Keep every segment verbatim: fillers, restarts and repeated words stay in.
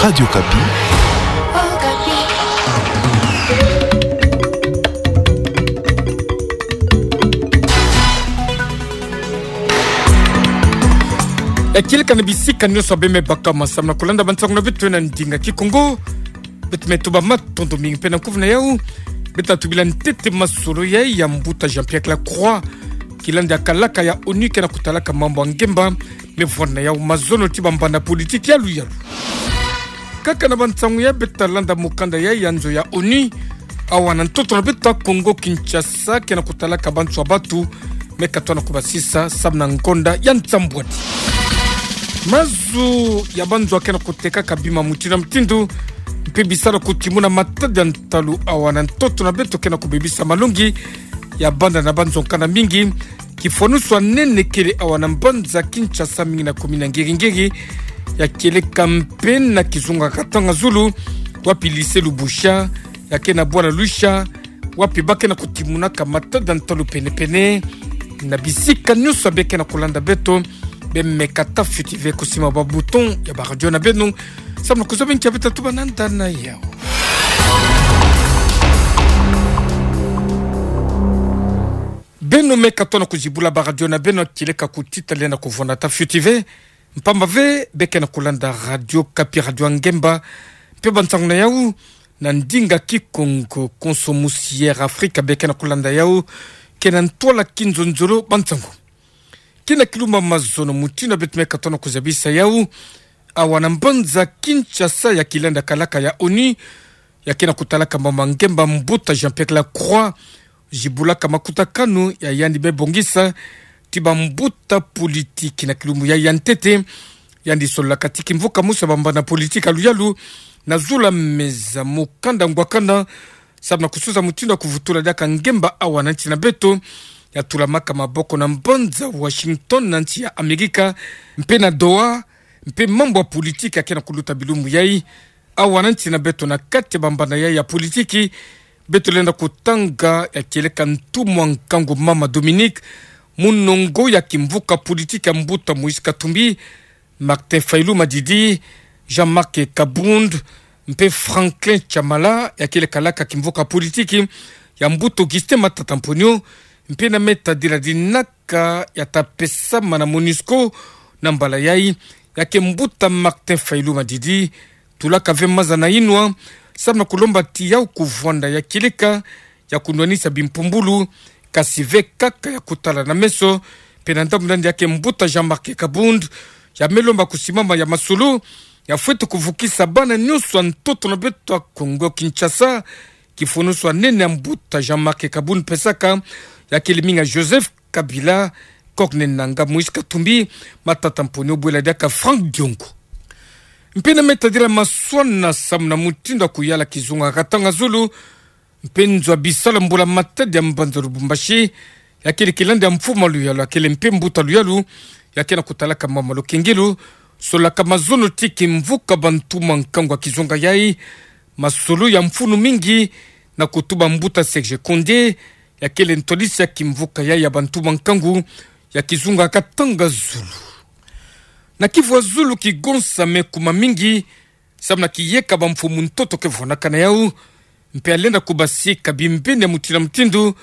Radio Okapi. Ya kieleka na bisika nyonso abe me baka ma samu na kulanda bansango na beto na ndinga Kikongo. Beto me tuba matondo mingi mpe na kuvu na yau. Beto na tubila ntete masolo ya, ya mbuta Jean-Pierre Lacroix, kilandi ya kalaka ya ONU ke na kutalaka mambu ya ngemba. Me vwanda na yau mazono ti bambanda politiki ya luyalu. Kaka na bansango ya beto ta landa mukanda ya, ya nzo ya ONU awa na ntoto na beto Kongo Kinshasa, ke na kutalaka banso ya batu me katona kubasisa samu na ngonda ya nsambwadi. Mazu ya banzo ke na kutekaka bima mutindu na mutindu, mpe bisala kutimuna matadi ya ntalu awa na ntoto na beto ke na kubebisa malongi ya banda na banzo nkanda mingi. Kifwanusu ya nene kele awa na mbanza Kinshasa, mingi na commune ya Ngiri-Ngiri, ya kieleka mpe na kizunga Katanga Zulu, wapi lycée Lubusha, ya ke na bwala Luisha, wapi ba ke na kutimunaka matadi ya ntalu pene-pene. Na bisika nyonso abe ke na kulanda beto, be meka ta fioti ve kusimba ba bouton ya ba radio na beno, samu na kuzaba nki abe ta tuba na nda na yau. Beno me katona kuzibula ba radio na beno, kieleka kutita lenda kuvwanda ta fioti ve, mpamba ve be ke na kulanda Radio Okapi, radio ya ngemba. Mpe bansango na yau na ndinga Kikongo, konso musi Air Afrika be ke na kulanda yau, ke na ntwala kinzonzolo bansango. Kina kilumbu ya mazono mutindu beto me katona kuzabisa yau, awa na mbanza Kinshasa, ya kilandi ya kalaka ya ONU, ya ke na kutalaka mambu ya ngemba, mbuta Jean-Pierre Lacroix, zibulaka makutakanu ya yandi me bongisa ti bambuta politiki na kilumbu ya, ya ntete. Yandi sololaka ti kimvuka mosi ya bambanda politiki ya luyalu na zulu ya meza mukanda ngwakana, samu na kusosa mutindu ya kuvutula diaka ngemba awa na nsi na beto. Ya tulamaka maboko na mbanza Washington na nsi ya Amerika, mpe na Doha, mpe mambu ya politiki ya ke na kuluta bilumbu yai. Awa na nsi na beto, na kati ya bambanda yai ya politiki, beto lenda kutanga ya kieleka ntumwa nkangu mama Dominique, munongo ya kimvuka politiki ya mbuta Moïse Katumbi, Martin Fayulu Madidi, Jean-Marc Kabund, mpe Franklin Tshamala, ya kele kalaka kimvuka politiki ya mbuta Augustin Matata Mponyo, mpe na me tadila dinaka ya ta pesama na MONUSCO na mbala yai, ya ke mbuta Martin Fayulu Madidi, tulaka ve maza na inwa, samu na kulomba ti yau kuvwanda ya kieleka ya kunwanisa bimpumbulu, kasi ve kaka ya kutala na meso. Mpe na ndambu nandi ya ke mbuta Jean-Marc Kabund, ya me lomba kusimama ya masolo ya fwete kuvukisa bana nyonso ya ntoto na beto ya Kongo Kinshasa, kifwanusu ya nene ya mbuta Jean-Marc Kabund pesaka, ya kele mingi ya Joseph Kabila, Corneille Nangaa, Moïse Katumbi, Matata Mponyo, bwela diaka Franck Diongo. Mpe na me tadila maswana samu na mutindu ya kuyala kizunga Katanga Zulu, mpe nzo ya bisalu ya mbula matadi ya mbanza Lubumbashi, ya kele kilandi ya mfumu ya luyalu, ya kele mpe mbuta luyalu, ya ke na kutalaka mama Lukengilu, solaka mazono ti kimvuka bantumwa nkangu ya kizunga yai, masolo ya mfunu mingi na kutuba mbuta Serge Konde, ya kele ntwadisi ya kimvuka yai ya bantumwa nkangu ya kizunga Katanga Zulu. Na kivu ya zulu, kigonsa me kuma mingi, samu na kiyeka bamfumu ntoto ke vwandaka na yau, mpe ya lenda kubasika bimbeni ya mutindu na mutindu,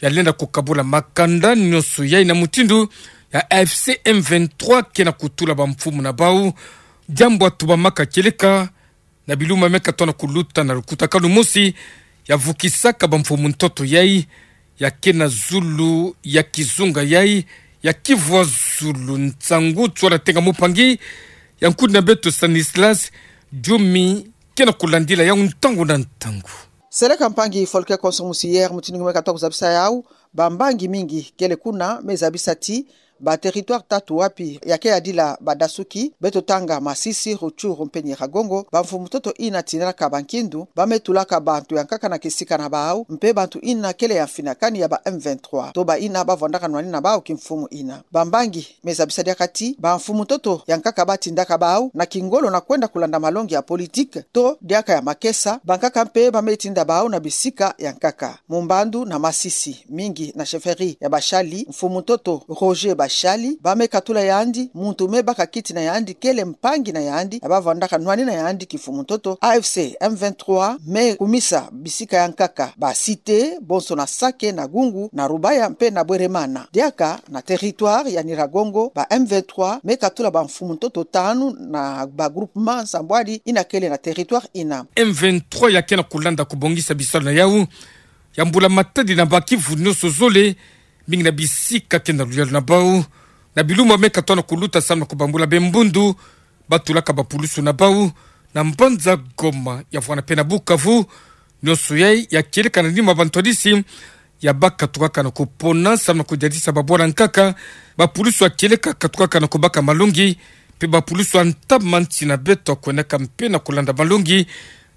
ya lenda kukabula makanda nyonso yai na mutindu ya A F C M vingt-trois ke na kutula bamfumu na bau. Diambu ya tubamaka kieleka na bilumbu me katona kuluta na lukutakanu mosi, ya vukisaka bamfumu ntoto yai, ya ke na zulu ya kizunga yai ya kivu ya zulu. Nsangu Tswala Tenga, mupangi ya nkudi na beto Stanislas Diomi, ke na kulandila yau ntangu na ntangu. Seleka mpangi Folke, konso musi Air, mutindu ngi me katona kuzabisa yau, bambangi mingi kele kuna me zabisa ti ba territoire tatu wapi ya ke yadila badasuki, beto tanga Masisi, Rutshuru mpe Nyiragongo, bamfumu ntoto ina tindaka bankindu, ba me tulaka bantu ya nkaka na kisika na bau, mpe bantu ina kele ya mfinakani ya ba M vingt-trois, to ba ina ba vwandaka nwani na bau kimfumu ina. Bambangi me zabisa diaka ti bamfumu ntoto ya nkaka ba tindaka bau na kingolo na kwenda kulanda malongi ya politique, to diaka ya makesa, bankaka mpe ba me tinda bau na bisika ya nkaka. Mu mbandu na Masisi, mingi na chefferie ya Bashali, mfumu ntoto Roger Bashali Shali, ba me katula yandi, muntu me baka kiti na yandi, kele mpangi na yandi, ya bavwandaka nwani na yandi kimfumu ntoto, A F C M vingt-trois me kumisa bisika ya nkaka, ba Cité, bonso na Sake, na Gungu, na Rubaya, mpe na Bweremana. Diaka na territoire ya Nyiragongo, ba M vingt-trois me katula bamfumu ntoto tanu na ba groupement nsambwadi ina kele na territoire ina. M vingt-trois ya ke na kulanda kubongisa bisalu na yau ya mbula matadi na ba kivu nyonso zole, mingi na bisika ke na luyalu na bau, na bilumbu me katona kuluta samu na kubambula be mbundu batulaka bapulusu na bau, na mbanza Goma, ya vwanda mpe na Bukavu, nyonso yai ya kieleka na nima bantwadisi ya bakatukaka na kupona samu na kudiatisa babwala nkaka, bapulusu ya kieleka katukaka na kubaka malongi, mpe bapulusu ya ntama nti na beto ya kwenaka mpe na kulanda malongi,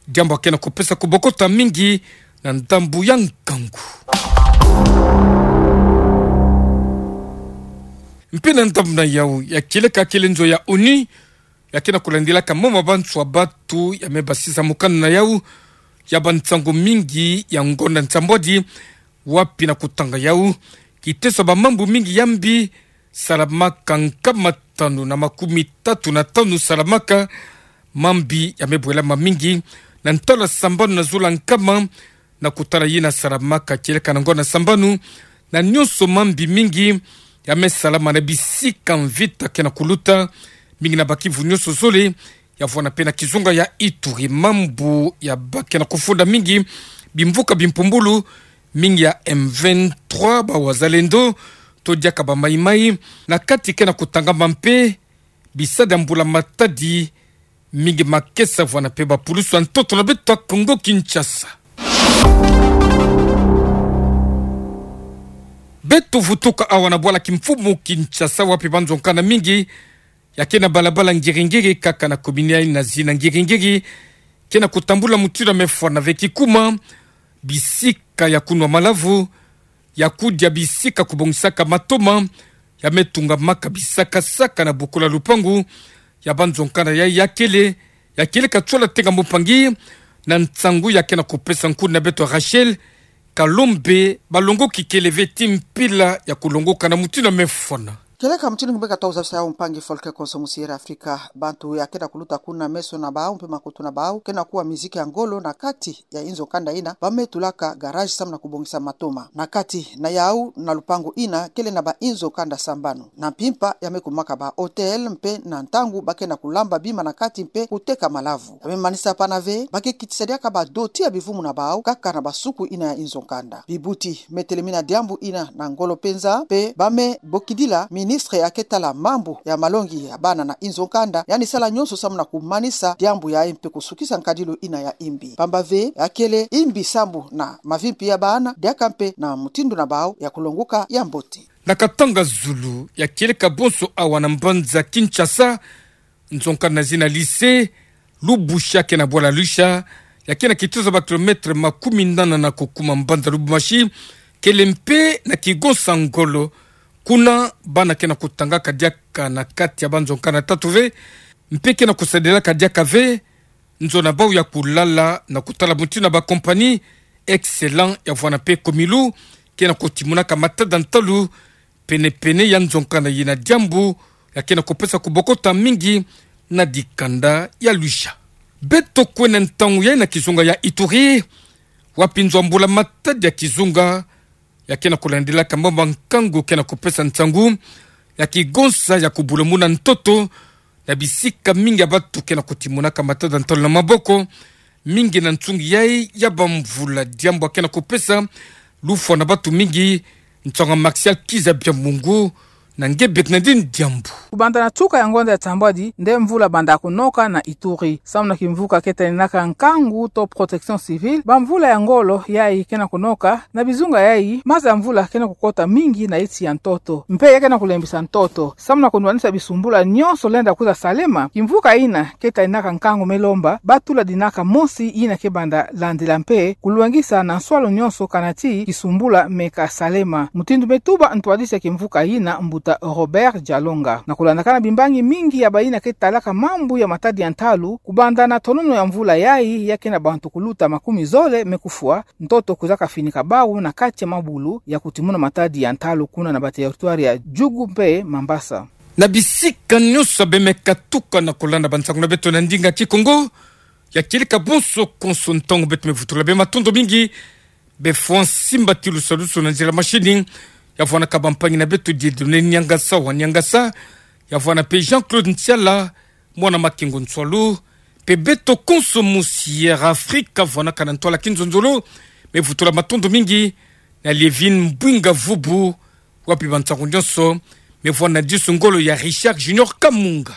diambu ya ke na kupesa kubokota mingi na ndambu ya nkangu. Mpe na ndambu na yau ya kieleka, kele nzo ya ONU ya ke na kulandilaka mama banswa batu ya me basisa mokanda na yau ya bansangu mingi ya ngonda nsambwadi, wapi na kutanga yau, kiteso ya bamambu mingi ya mbi salamaka, nkama tanu na makumi tatu na tanu salamaka, mambi ya me bwelama mingi na ntwala sambanu na zulu ya nkama, na kutala yina salamaka kieleka na ngonda sambanu, na nyonso mambi mingi ya me salama na bisika mvita ke na kuluta, mingi na ba kivu nyonso zole, ya vwanda mpe na kizunga ya Ituri. Mambu ya ba ke na kufunda mingi bimvuka bimpumbulu, mingi ya M vingt-trois, ba wazalendo, to diaka ba maïmaï, na kati ke na kutangama mpe bisadi ya mbula matadi, mingi makesa vwanda mpe bapulusu ya ntoto na beto ya Kongo Kinshasa. Beto vutuka awa na bwala kimfumu Kinshasa, wapi banzo nkanda mingi ya ke na balabala ngiri-ngiri, kaka na komini yai na zina ngiri-ngiri ke na kutambula mutindu ya me fwana ve, kikuma bisika ya kunwa malavu, ya kudia, bisika kubongisaka matoma, ya me tungamaka bisaka-saka na bokolo ya lupangu ya banzo nkanda yai ya kele, ya kieleka tsola tenga mpangi, na nsangu ya ke na kupesa nkundi na beto Rachel Kalombe, balongoki kele ve ti mpila ya kulongoka na mutindu ya me fwana. Kieleka mutindu ngbeka twa uzabisa yau, mpangi Folke Konso, Musiere Afrika, bantu ya ke na kuluta kuna meso na bau mpe makutu na bau ke na kuwa miziki ya ngolo na kati ya inzo nkanda ina ba me tulaka garage samu na kubongisa matoma. Na kati na yau na lupangu ina kele na ba inzo nkanda sambanu, na mpimpa ya me kumaka ba hôtel, mpe na ntangu ba ke na kulamba bima na kati mpe kuteka malavu, ya me manisa pana ve ba ke kitisa diaka ba doti ya bivumu na bau kaka na ba suku ina ya inzo nkanda. Bibuti me telemina diambu ina na ngolo mpenza, mpe ba me bokidila ministre ya ke tala mambu ya malongi ya bana na inzo nkanda, yandi sala nyonso samu na kumanisa diambu yai mpe kusukisa nkadilu ina ya imbi. Pamba ve ya kele imbi sambu na mavimpi ya bana, diaka mpe na mutindu na bau ya kulongoka ya mbote. Na katanga zulu ya kieleka bonso awa na mbanza Kinshasa, nzo nkanda na zina lycée Lubusha ke na bwala Luisha, ya ke na kitozo ba kilomètre makumi nana na kukuma mbanza Lubumbashi, kele mpe na kigonsa ngolo. Kuna bana ke na kutangaka diaka na kati ya banzo nkanda tatu ve, mpe ke na kusadilaka diaka ve nzo na bau ya kulala na kutala mutindu na ba compagnie Excellent ya vwanda mpe Comilu ke na kutimunaka matada ntalu pene-pene ya nzo nkanda yina, diambu ya ke na kupesa kubokota mingi na dikanda ya Luisha. Beto kwenda ntangu yai na kizunga ya Ituri, wapi nzo ya mbula matadi ya kizunga ya ke na kulandilaka mama nkangu ke na kupesa nsangu ya kigonsa ya kubula muna ntoto na bisika mingi ya batu ke na kutimunaka matada ntalu na maboko, mingi na nsungi yai ya bamvula, diambu ya ke na kupesa lufwa na batu mingi. Nsangu ya Martial Kiza Biamungu na nge Bernardine Diambu. Kubanda na tuka ya ngonda ya nsambwadi nde mvula banda kunoka na Ituri. Samu na kimvuka ke taninaka nkangu to protection civile, bamvula ya ngolo yai ke na kunoka, na bizunga yai maza ya mvula ke na kukota mingi na iti ya ntoto, mpe ya ke na kulembisa ntoto. Samu na kunwanisa bisumbula nyonso lenda kwiza salema, kimvuka yina ke taninaka nkangu me lomba ba tula dinaka mosi yina ke banda landila mpe kulwengisa na nswalu nyonso kana ti kisumbula me kasalema. Mutindu me tuba ntwadisi ya kimvuka yina, Mbuta Docteur Robert Dialonga. Na kulandakana bimbangi mingi ya bayi na ke talaka mambu ya matadi ya ntalu, kubanda na tonono ya mvula yayi, ya kena bantu kuluta makumi zole me kufwa, ntoto kwiza kafinika bawu na kati ya mabulu ya kutimuna matadi ya ntalu kuna na bateritware ya Djugu mpe Mambasa. Na bisika nyonso bemeka tuka na kulanda bansangu na beto na ndinga Kikongo, ya kieleka bonso konso ntangu beto me vutula bê matondo mingi, bê François Mbatilu Saluso na nzila mashini, ya vwanaka bampangi na beto Dieudonné Niangasa wa Niangasa, ya vwana mpe Jean-Claude Ntiala, mwana Makengo Nswalu, mpe beto konso mu Sierra Africa, vwanaka na ntwala kinzonzolo, me vutula matondo mingi, na Lievine Mbwinga Vubu, wapi bansangu nyonso, me vwana disu ngolo ya Richard Junior Kamunga.